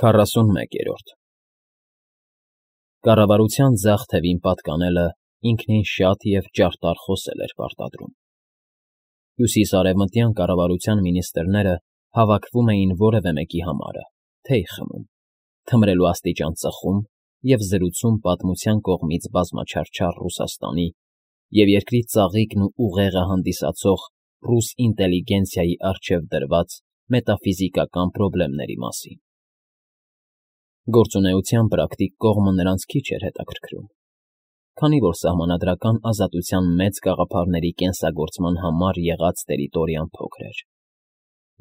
41-րդ Կառավարության ձախ թևին պատկանելը ինքնին շատ և ճարտար խոսել էր պարտադրում։ Հյուսիս֊արևմտյան կառավարության մինիստրները հավաքվում էին որևէ մեկի համարը, թեյ խմում, թմրելու աստիճան ծխում և զրուցում պատմության կողմից բազմաչարչար Ռուսաստանի և երկրի ծաղիկն ու ուղեղը հանդիսացող ռուս ինտելիգենցիայի առջև դրված մետաֆիզիկական պրոբլեմների մասին։ Գործունեության պրակտիկ կողմը նրանց քիչ էր հետաքրքրում, քանի որ սահմանադրական ազատության մեծ գաղափարների կենսագործման համար եղած տերիտորիան փոքր էր,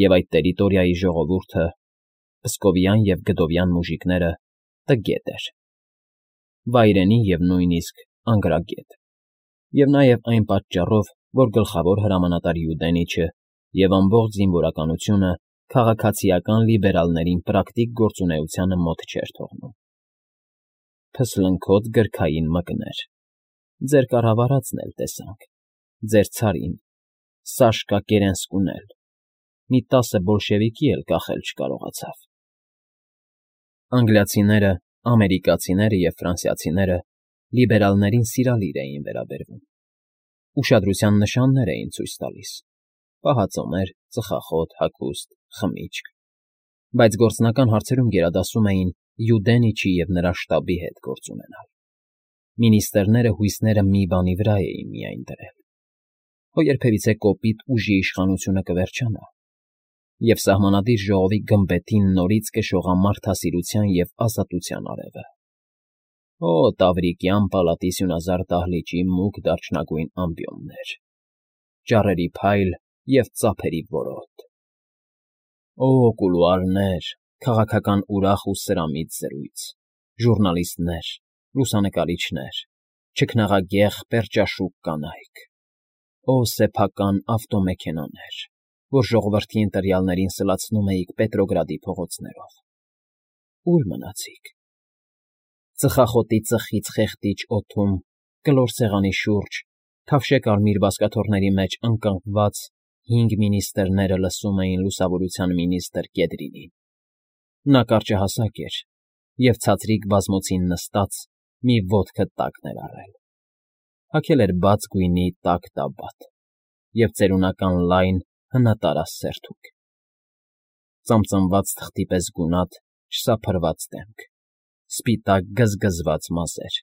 և այդ տերիտորիայի ժողովուրդը, պսկովյան և գդովյան մուժիկները, տգետ էր, վայրենի և նույնիսկ անգրագետ, և նաև այն պատճառով, որ գլխավոր հրամանատար Յուդենիչը և ամբողջ զինվորականությունը քաղաքացիական լիբերալներին պրակտիկ գործունեությանը մոտ չէր թողնում։ Փսլնքոտ գրքային մկներ, ձեր կառավարածն էլ տեսանք, ձեր ցարին, Սաշկա Կերենսկուն էլ, մի 10 բոլշևիկի էլ կախել չկարողացավ։ Անգլիացիները, ամերիկացիները և ֆրանսիացիները լիբերալներին սիրալիր էին վերաբերվում, ուշադրության նշաններ էին ցույց տալիս. պահածոներ, ծխախոտ, հագուստ, խմիչք, բայց գործնական հարցերում գերադասում էին Յուդենիչի և նրա շտաբի հետ գործ ունենալ։ Մինիստրները հույսները մի բանի վրա էին միայն դրել, որ երբևիցե կոպիտ ուժի իշխանությունը կվերջանա, և սահմանադիր ժողովի գմբեթին նորից կշողա մարդասիրության և ազատության արևը։ Օ, Տավրիկյան պալատի սյունազար դահլիճի մուգ դարչնագույն ամբիոններ, ճառերի փայլ և ծափերի որոտ։ Օ, կուլուարներ, քաղաքական ուրախ ու սրամիտ զրույց, ժուռնալիստներ, լուսանկարիչներ, չքնաղագեղ պերճաշուք կանայք։ Օ, սեփական ավտոմեքենաներ, որ ժողովրդի ընտրյալներին սլացնում էիք Պետրոգրադի փողոցներով։ Ո՞ւր մնացիք։ Ծխախոտի ծխից խեղդիջ օդում, կլոր սեղանի շուրջ, քավշե կարմիր բազկաթոռների մեջ ընկղմված 5 մինիստրները լսում էին լուսավորության մինիստր Կեդրինին։ Նա կարճահասակ էր և ցածրիկ բազմոցին նստած մի ոտքը տակն էր առել, հագել էր բաց գույնի տաք տաբատ և ծերունական լայն հնատարած սերթուկ, ծամծմված թղթի պես գունատ, չսափրված դեմք, սպիտակ գզգզված մազեր,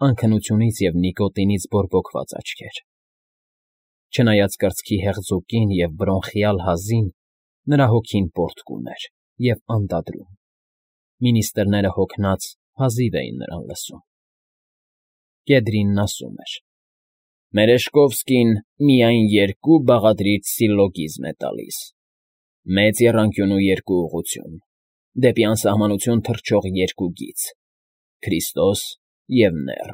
անքնությունից և նիկոտինից բորբոքված աչքեր։ Չնայած կրծքի հեղձուկին և բրոնխիալ հազին, նրա հոգին պոռթկում էր և անդադրում։ Մինիստրները հոգնած հազիվ էին նրան լսում։ Կեդրինն ասում էր. «Մերեժկովսկին միայն 2 բաղադրիչ սիլլոգիզմ է տալիս. մեծ եռանկյունու 2 ուղղություն, դեպի անսահմանություն թռչող 2 գիծ, Քրիստոս և նեռ։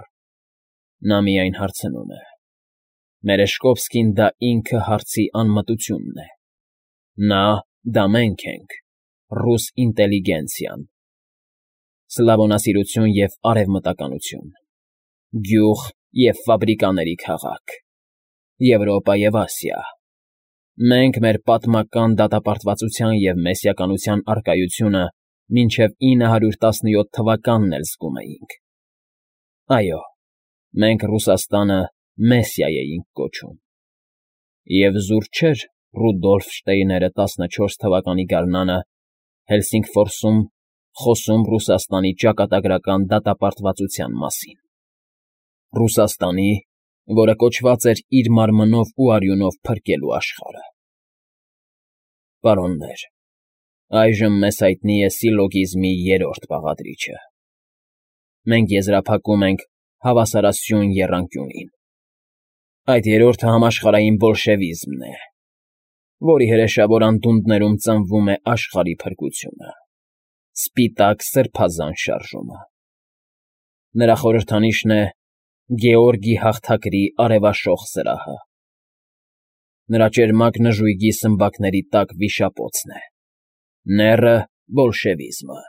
Նա միայն հարցնում է. Մերեժկովսկին դա ինքը հարցի անմտությունն է։ Նա դա մենք ենք, ռուս ինտելիգենցիան։ Սլավոնասիրություն և արևմտականություն, գյուղ և ֆաբրիկաների քաղաք, Եվրոպա և Ասիա։ Մենք մեր պատմական դատապարտվածության և մեսիականության առկայությունը մինչև 917 թվականն էլ զգում էինք։ Այո, մենք Ռուսաստանը Մեսիա էինք կոչում։ Եվ զուր չէր Ռուդոլֆ Շտեյները 14 թվականի գարնանը Հելսինգֆորսում խոսում Ռուսաստանի ճակատագրական դատապարտվածության մասին։ Ռուսաստանի, որը կոչված էր իր մարմնով ու արյունով փրկելու աշխարհը։ Պարոններ, այժմ մեզ հայտնի է սիլլոգիզմի 3-րդ բաղադրիչը։ Մենք եզրափակում ենք հավասարասյուն եռանկյունին։ Այդ 3-րդը համաշխարհային բոլշևիզմն է, որի հրեշավոր անդունդներում ծնվում է աշխարհի փրկությունը, սպիտակ սրբազան շարժումը։ Նրա խորհրդանիշն է Գեորգի հաղթագրի արևաշող զրահը։ Նրա ճերմակ նժույգի սմբակների տակ վիշապոցն է, նեռը բոլշևիզմը,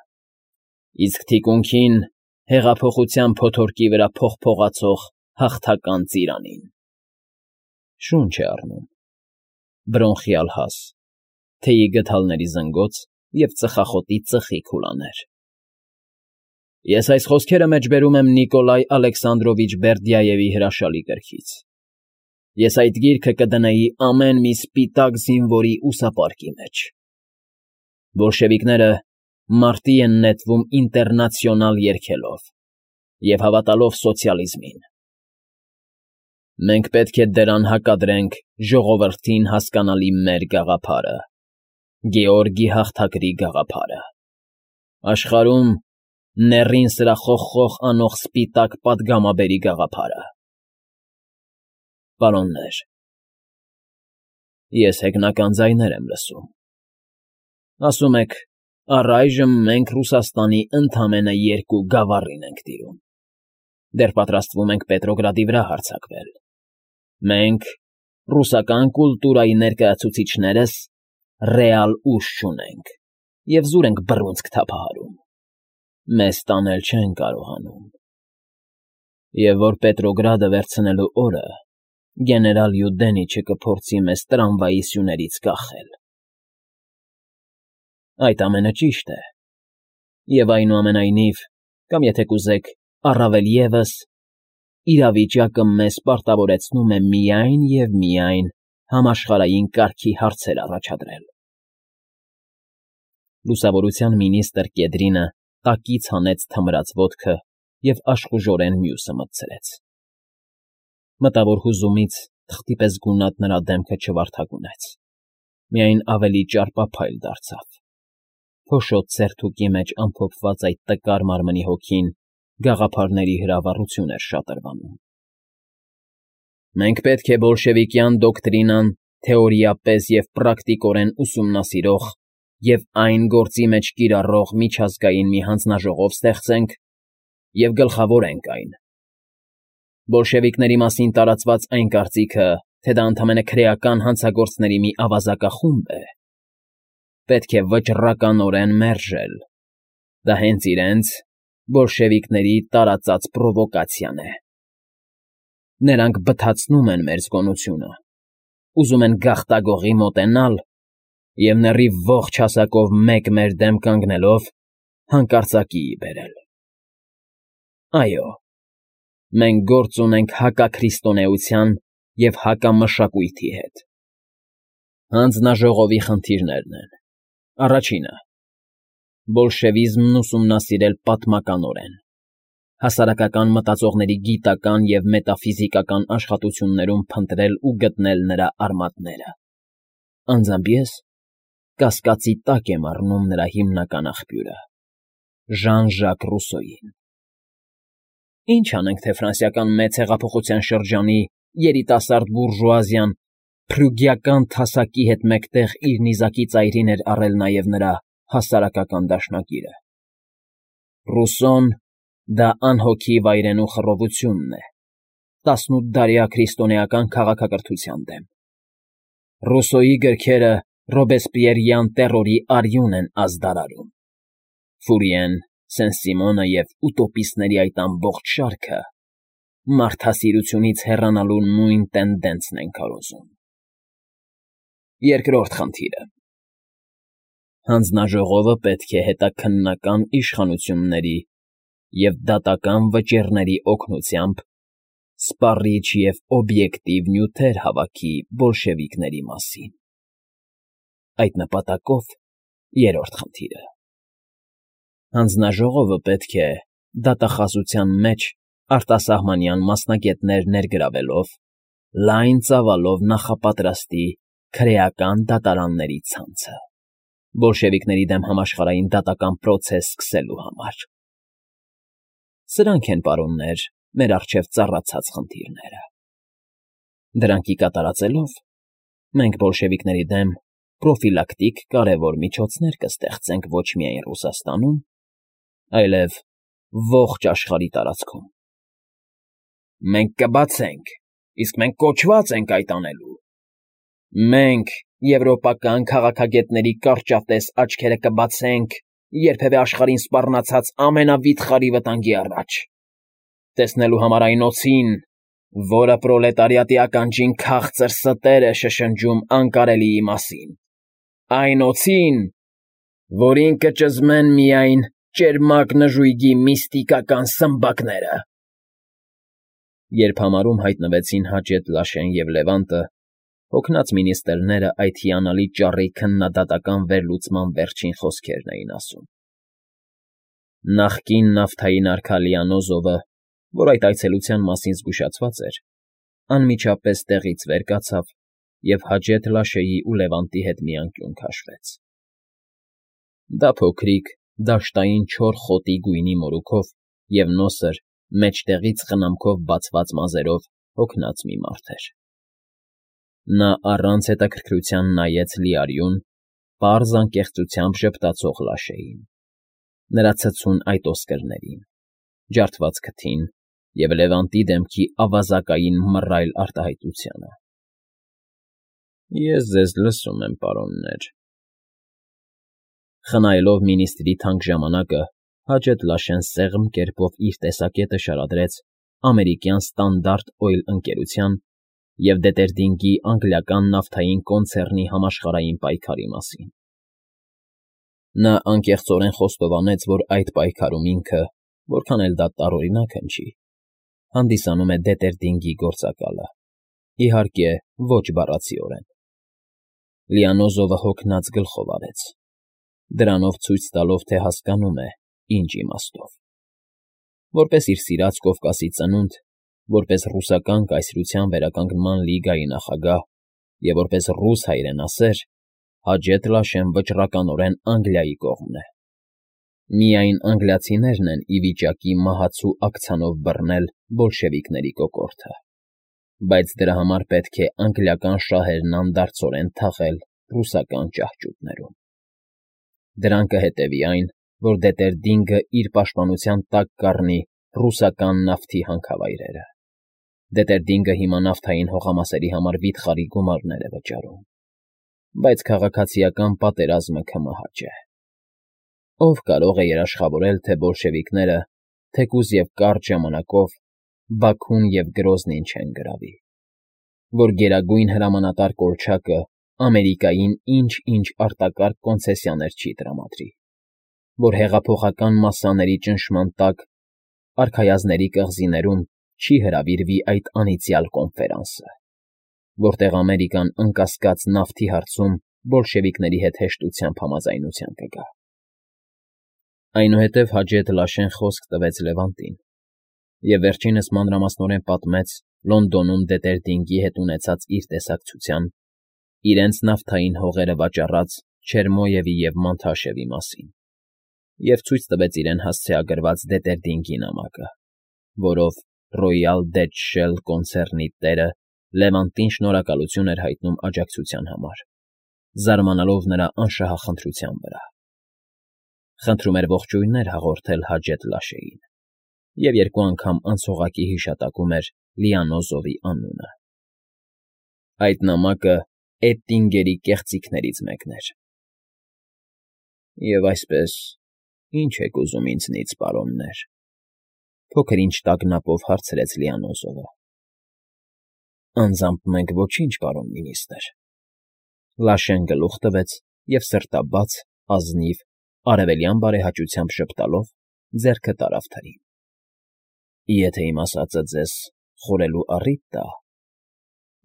իսկ թիկունքին հեղափոխության փոթորկի վրա փողփողացող հաղթական ծիրանին։ Շունչ է առնում, բրոնխիալ հազ, թեյի գդալների զնգոց և ծխախոտի ծխի քուլաներ։ Ես այս խոսքերը մեջբերում եմ Նիկոլայ Ալեքսանդրովիչ Բերդյաևի հրաշալի գրքից։ Ես այդ գիրքը կդնեի ամեն մի սպիտակ զինվորի ուսապարկի մեջ։ Բոլշևիկները մարտի են նետվում ինտերնացիոնալ երգելով և հավատալով սոցիալիզմին։ Մենք պետք է դրան հակադրենք ժողովրդին հասկանալի մեր գաղափարը, Գեորգի հաղթագրի գաղափարը, աշխարհում նեռին սրախոխխող անող սպիտակ պատգամաբերի գաղափարը։ Պարոններ, ես հեգնական ձայներ եմ լսում։ Ասում եք, առայժմ մենք Ռուսաստանի ընդամենը 2 գավառին ենք տիրում։ Դեռ պատրաստվում ենք Պետրոգրադի վրա հարձակվել։ Մենք, ռուսական կուլտուրայի ներկայացուցիչներս, ռեալ ուժ չունենք և զուր ենք բռունցք թափահարում։ Մեզ տանել չեն կարողանում։ Եվ որ Պետրոգրադը վերցնելու օրը գեներալ Յուդենիչը կփորձի մեզ տրամվայի սյուներից կախել։ Այդ ամենը ճիշտ է։ Եվ այնուամենայնիվ, կամ եթե կուզեք, առավել ևս, իրավիճակը մեզ պարտավորեցնում է միայն և միայն համաշխարհային կարգի հարցեր առաջադրել։ Լուսավորության մինիստր Կեդրինը տակից հանեց թմրած ոտքը և աշխուժորեն մյուսը մտցրեց։ Մտավոր հուզումից թղթի պես գունատ նրա դեմքը չվարդագունեց, միայն ավելի ճարպափայլ դարձավ։ Փոշոտ սերթուկի մեջ ամփոփված այդ տկար մարմնի հոգին գաղափարների հրավառություն էր շատրվանում։ Մենք պետք է բոլշևիկյան դոկտրինան թեորիապես և պրակտիկորեն ուսումնասիրող և այն գործի մեջ կիրառող միջազգային մի հանձնաժողով ստեղծենք և գլխավորենք այն։ Բոլշևիկների մասին տարածված այն կարծիքը, թե դա ընդամենը քրեական հանցագործների մի ավազակախումբ է, պետք է վճռականորեն մերժել։ Դա հենց իրենց բոլշևիկների տարածած պրովոկացիան է։ Նրանք բթացնում են մեր զգոնությունը, ուզում են գաղտագողի մոտենալ և նեռի ողջ հասակով մեկ մեր դեմ կանգնելով հանկարծակիի բերել։ Այո, մենք գործ ունենք հակաքրիստոնեության և հակամշակույթի հետ։ Հանձնաժողովի խնդիրներն են. Առաջինը՝ բոլշևիզմն ուսումնասիրել պատմականորեն, հասարակական մտածողների գիտական և մետաֆիզիկական աշխատություններում փնտրել ու գտնել նրա արմատները։ Անձամբ ես կասկածի տակ եմ առնում նրա հիմնական աղբյուրը՝ Ժան-Ժակ Ռուսոյին։ Ինչ անենք, թե ֆրանսիական մեծ հեղափոխության շրջանի երիտասարդ բուրժուազիան փրուգիական թասակի հետ մեկտեղ իր նիզակի ծայրին էր առել նաև նրա հասարակական դաշնակիրը։ Ռուսոն դա անհոգի վայրենու խռովությունն է 18-դարյա քրիստոնեական քաղաքակրթության դեմ։ Ռուսոյի գրքերը ռոբեսպիերյան տեռորի արյուն են ազդարարում։ Ֆուրիեն, Սեն-Սիմոնը և ուտոպիստների այդ ամբողջ շարքը մարդասիրությունից հեռանալու նույն տենդենսն են քարոզում։ Երկրորդ խնդիրը. հանձնաժողովը պետք է հետաքննական իշխանությունների և դատական վճիռների օգնությամբ սպառիչ և օբյեկտիվ նյութեր հավաքի բոլշևիկների մասին։ Այդ նպատակով երրորդ խնդիրը. հանձնաժողովը պետք է դատախազության մեջ արտասահմանյան մասնագետներ ներգրավելով լայն ծավալով նախապատրաստի քրեական դատարանների ցանցը բոլշևիկների դեմ համաշխարհային դատական պրոցես սկսելու համար։ Սրանք են, պարոններ, մեր առջև ծառացած խնդիրները։ Դրանք ի կատարածելով մենք բոլշևիկների դեմ պրոֆիլակտիկ կարևոր միջոցներ կստեղծենք ոչ միայն Ռուսաստանում, այլև ողջ աշխարհի տարածքում։ Մենք կբացենք, իսկ մենք կոչված ենք այդ անելու։ Մենք, եվրոպական քաղաքագետների կարճատես աչքերը կբացենք երբևէ աշխարհին սպառնացած ամենավիթխարի վտանգի առաջ, տեսնելու համար այն օձին, որը պրոլետարիատի ականջին քաղցր ստեր է շշնջում անկարելիի մասին, այն օձին, որին կճզմեն միայն ճերմակ նժույգի միստիկական սմբակները։ Երբ համարում հայտնվեցին Հաջեթ Լաշեն և Լևանտը, հոգնած մինիստրները այդ հիանալի ճառի քննադատական վերլուծման վերջին խոսքերն էին ասում։ Նախկին նավթային արքա Լիանոզովը, որ այդ այցելության մասին զգուշացված էր, անմիջապես տեղից վեր կացավ և Հաջեթ Լաշեի ու Լևանտի հետ մի անկյուն քաշվեց։ Դա փոքրիկ, դաշտային չոր խոտի գույնի մորուքով և նոսր, մեջտեղից խնամքով բացված մազերով հոգնած մի մարդ էր։ Նա առանց հետաքրքրության նայեց լիարյուն, պարզ անկեղծությամբ ժպտացող Լաշեին, նրա ցցուն այտոսկրներին, ջարդված քթին և Լևանտի դեմքի ավազակային մռայլ արտահայտությանը։ Ես ձեզ լսում եմ, պարոններ։ Խնայելով մինիստրի թանկ ժամանակը, Հաջեթ Լաշեն սեղմ կերպով իր տեսակետը շարադրեց ամերիկյան Ստանդարտ Օյլ ընկերության և Դետերդինգի անգլիական նավթային կոնցեռնի համաշխարհային պայքարի մասին։ Նա անկեղծորեն խոստովանեց, որ այդ պայքարում ինքը, որքան էլ դա տարօրինակ հնչի, հանդիսանում է Դետերդինգի գործակալը, իհարկե, ոչ բառացիորեն։ Լիանոզովը հոգնած գլխով արեց, դրանով ցույց տալով, թե հասկանում է, ինչ իմաստով։ Որպես իր սիրած Կովկասի ծնունդ, որպես ռուսական կայսրության վերականգնման լիգայի նախագահ և որպես ռուս հայրենասեր, Հաջեթ Լաշեն վճռականորեն Անգլիայի կողմն է։ Միայն անգլիացիներն են ի վիճակի մահացու աքցանով բռնել բոլշևիկների կոկորդը, բայց դրա համար պետք է անգլիական շահերն անդարձորեն թաղել ռուսական ճահճուտներում։ Դրան կհետևի այն, որ Դետերդինգը իր պաշտպանության տակ կառնի ռուսական նավթի հանքավայրերը։ Դետերդինգը հիմա նավթային հողամասերի համար վիթխարի գումարներ է վճարում, բայց քաղաքացիական պատերազմը կմահաճ է։ Ով կարող է երաշխավորել, թե բոլշևիկները, թեկուզ և կարճ ժամանակով, Բաքուն և Գրոզնին չեն գրավի, որ Գերագույն Հրամանատար Կոլչակը Ամերիկային ինչ-ինչ արտակարգ կոնցեսիաներ չի տրամադրի, որ հեղափոխական մասսաների ճնշման տակ արքայազնների կղզիներում չի հրավիրվի այդ անիծյալ կոնֆերանսը, որտեղ Ամերիկան անկասկած նավթի հարցում բոլշևիկների հետ հեշտությամբ համաձայնության կգա։ Այնուհետև Հաջեթ Լաշեն խոսք տվեց Լևանտին և վերջինս մանրամասնորեն պատմեց Լոնդոնում Դետերդինգի հետ ունեցած իր տեսակցության, իրենց նավթային հողերը վաճառած Չերմոյևի և Մանթաշևի մասին և ցույց տվեց իրեն հասցեագրված Դետերդինգի նամակը, որով Royal Dutch Shell կոնցեռնի տերը Լևանտին շնորհակալություն էր հայտնում աջակցության համար, զարմանալով նրա անշահախնդրության վրա։ Խնդրում էր ողջույններ հաղորդել Հաջեթ Լաշեին և երկու անգամ անցողակի հիշատակում էր Լիանոզովի անունը։ Այդ նամակը Էտտինգերի կեղծիքներից մեկն էր։ Եվ այսպես, ի՞նչ եք ուզում ինձնից, պարոններ,֊ փոքր-ինչ տագնապով հարցրեց Լիանոզովը։ Անձամբ մենք ոչինչ, պարոն մինիստր,֊ Լաշեն գլուխ տվեց և սրտաբաց, ազնիվ, արևելյան բարեհաճությամբ ժպտալով ձեռքը տարավ թրին։ Եթե իմ ասածը ձեզ խորելու առիթ տա,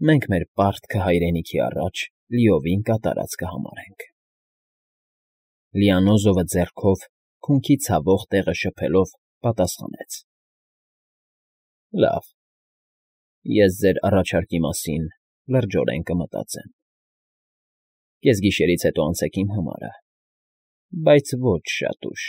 մենք մեր պարտքը հայրենիքի առաջ լիովին կատարած կհամարենք։ Լիանոզովը ձեռքով քունքի ցավող տեղը շփելով պատասխանեց. Լավ, ես ձեր առաջարկի մասին լրջորեն կմտածեմ։ Կեսգիշերից հետո անցեք իմ համարը, բայց ոչ շատ ուշ։